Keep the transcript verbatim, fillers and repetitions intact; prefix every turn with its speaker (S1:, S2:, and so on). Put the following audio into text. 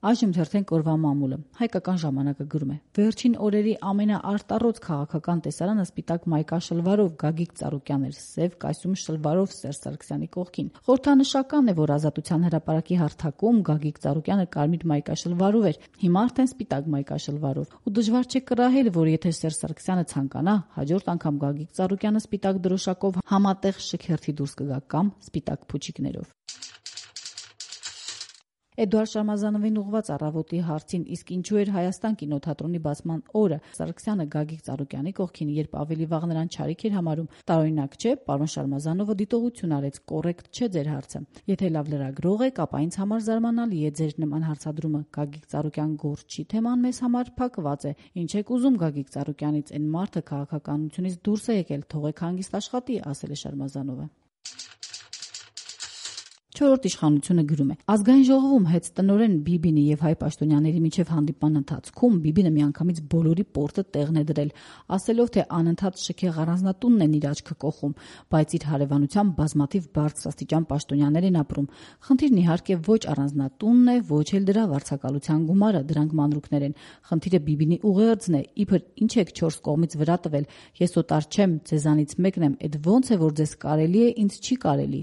S1: Այժմ թերթենք օրվա մամուլը։ Հայկական ժամանակը գրում է. վերջին օրերի ամենաարտառոց քաղաքական տեսարանը սպիտակ մայկա շլվարով Գագիկ Ծառուկյան էր, սև կայսում շլվարով Սերժ Սարգսյանի կողքին։ Խորհրդանշական է, որ Ազատության հրապարակի հարթակում Գագիկ Ծառուկյանը կարմիր մայկա շլվարով էր, հիմա արդեն սպիտակ մայկա շլվարով։ Ու դժվար չէ կռահել, որ եթե Սերժ Սարգսյանը ցանկանա, հաջորդ անգամ Գագիկ Ծառուկյանը սպիտակ դրոշակով համատեղ շքերթի դուրս կգա կամ սպիտակ փուչիկներով։ Էդուարդ Շարմազանովին ուղղված առավոտի հարցին, իսկ ինչու էր Հայաստան կինոթատրոնի բացման օրը Սարգսյանը Գագիկ Ծառուկյանի կողքին, երբ ավելի վաղ նրան չարիք էր համարում, տարօրինակ չէ, պարոն Շարմազանովը դիտողություն արեց, կոռեկտ չէ ձեր հարցը։ Եթե լավ լրագրող եք, ապա ինձ համար զարմանալի է ձեր նման հարցադրումը։ Գագիկ Ծառուկյան գործչի թեման մեզ համար փակված է։ Ինչ եք ուզում Գագիկ Ծառուկյանից, այն մարդը քաղաքականությունից դուրս է եկել, թողեք հանգիստ աշխատի, ասել է Շարմազանովը։ Չորրորդ իշխանությունը գրում է. Ազգային ժողովում հետծտնորեն Բիբինի եւ Հայ Պաշտոնյաների միջև հանդիպման ընթացքում Բիբինը միանգամից բոլորի պորտը տեղն է դրել, ասելով, թե անընդհատ շքեղ առանձնատունն են իր աչքը կողում, բայց իր հարևանությամբ բազմաթիվ բարձրաստիճան պաշտոնյաներ են ապրում։ Խնդիրն իհարկե ոչ առանձնատունն է, ոչ էլ դրա վարձակալության գումարը, դրանք մանրուքներ են։ Խնդիրը Բիբինի ուղերձն է, իբր ինչ եք չորս կողմից վրա տվել, ես օտար չեմ, ձեզանից մեկն եմ, այդ ոնց է որ ձեզ կարելի է, ինձ չի կարելի։